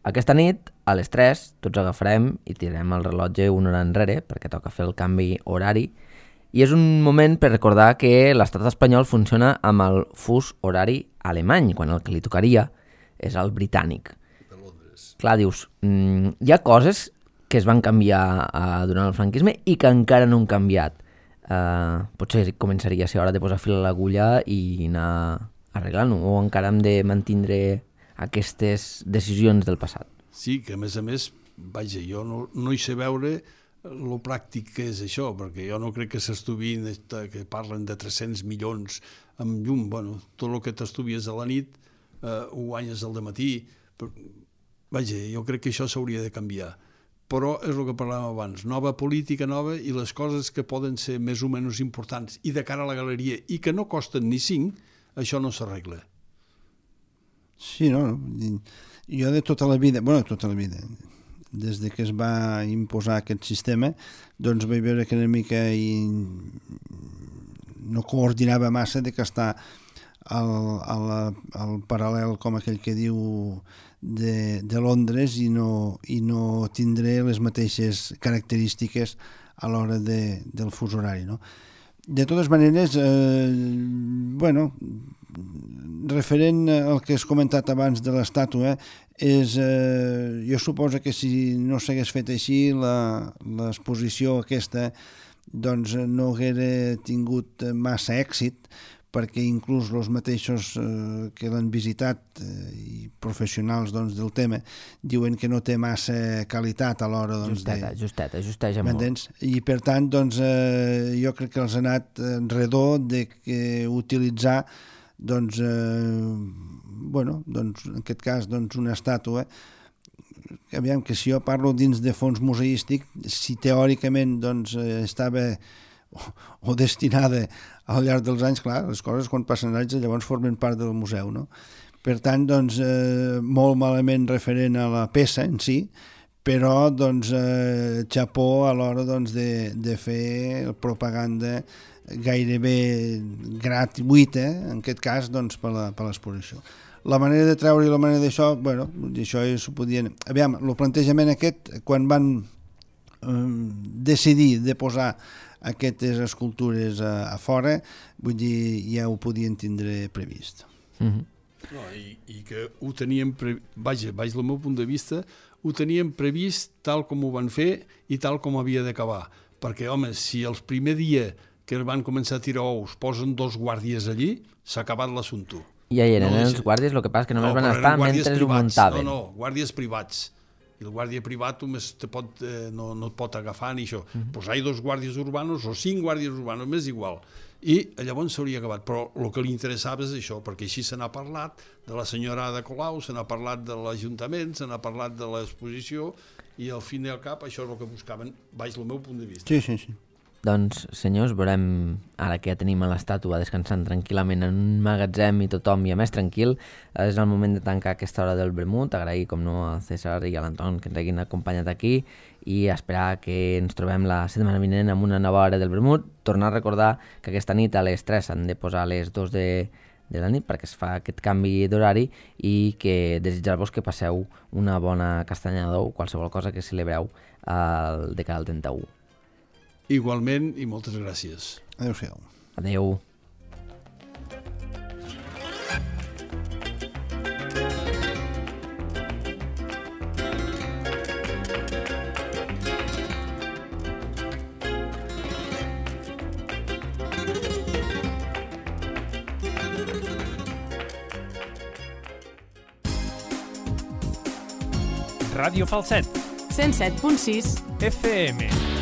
Aquesta nit, a les 3, tots agafarem i tirarem el rellotge una hora enrere perquè toca fer el canvi horari, i és un moment per recordar que l'estat espanyol funciona amb el fus horari alemany, quan el que li tocaria és el britànic. De Londres. Clar, dius, hi ha coses que es van canviar durant el franquisme i que encara no han canviat. Potser començaria a ser hora de posar fil a l'agulla i anar arreglant-ho, o encara hem de mantindre aquestes decisions del passat. Sí, que a més, vaja, jo no hi sé veure lo pràctic que és això, perquè jo no crec que s'estuvin, que parlen de 300 milions amb llum. Bueno, tot el que t'estuvies a la nit ho guanyes al dematí. Vaja, jo crec que això s'hauria de canviar. Però és el que parlàvem abans, nova política nova i les coses que poden ser més o menys importants i de cara a la galeria i que no costen ni 5, això no s'arregla. Sí, no? Jo de tota la vida, des de que es va imposar aquest sistema, doncs vaig veure que una mica no coordinava massa de que està al paral·lel, com aquell que diu, de Londres i no tindré les mateixes característiques a l'hora del fus horari, no? De totes maneres, referent al que has comentat abans de l'estàtua, jo suposo que si no s'hagués fet així, l'exposició aquesta doncs no haguera tingut massa èxit, perquè inclús els mateixos que l'han visitat i professionals del tema diuen que no té massa qualitat a l'hora Justeja molt. I per tant jo crec que els ha anat redó d'utilitzar en aquest cas una estàtua. Aviam, que si jo parlo dins de fons museístic, si teòricament estava o destinada al llarg dels anys, clar, les coses quan passen anys llavors formen part del museu, no? Per tant, molt malament referent a la peça en si, però xapó a l'hora de fer propaganda gairebé gratuïta, en aquest cas per l'exposició. La manera de treure i la manera d'això, això s'ho podien... Aviam, el plantejament aquest, quan van decidir de posar aquestes escultures a fora, vull dir, ja ho podien tindre previst. No, i que ho teníem vaja, del meu punt de vista, ho teníem previst tal com ho van fer i tal com havia d'acabar. Perquè, home, si el primer dia que van començar a tirar ous posen 2 guàrdies allí, s'ha acabat l'assumpte. Ja hi eren els guàrdies, el que passa que només van estar mentre ho muntaven. No, guàrdies privats. I el guàrdia privat només no et pot agafar ni això. Doncs hi ha 2 guàrdies urbanos o 5 guàrdies urbanos, m'és igual. I llavors s'hauria acabat. Però el que li interessava és això, perquè així se n'ha parlat de la senyora Ada Colau, se n'ha parlat de l'Ajuntament, se n'ha parlat de l'exposició, i al fin i al cap això és el que buscaven, baix el meu punt de vista. Sí. Doncs, senyors, veurem, ara que ja tenim a l'estàtua descansant tranquil·lament en un magatzem i tothom ja més tranquil, és el moment de tancar aquesta hora del vermut, agrair, com no, al César i a l'Anton que ens hagin acompanyat aquí i esperar que ens trobem la setmana vinent amb una nova hora del vermut. Tornar a recordar que aquesta nit a les 3 s'han de posar a les 2 de la nit perquè es fa aquest canvi d'horari i que desitjar-vos que passeu una bona castanyada o qualsevol cosa que celebreu de cara al 31. Igualment i moltes gràcies. Adéu-siau. Adéu. Ràdio Falset 107.6 FM.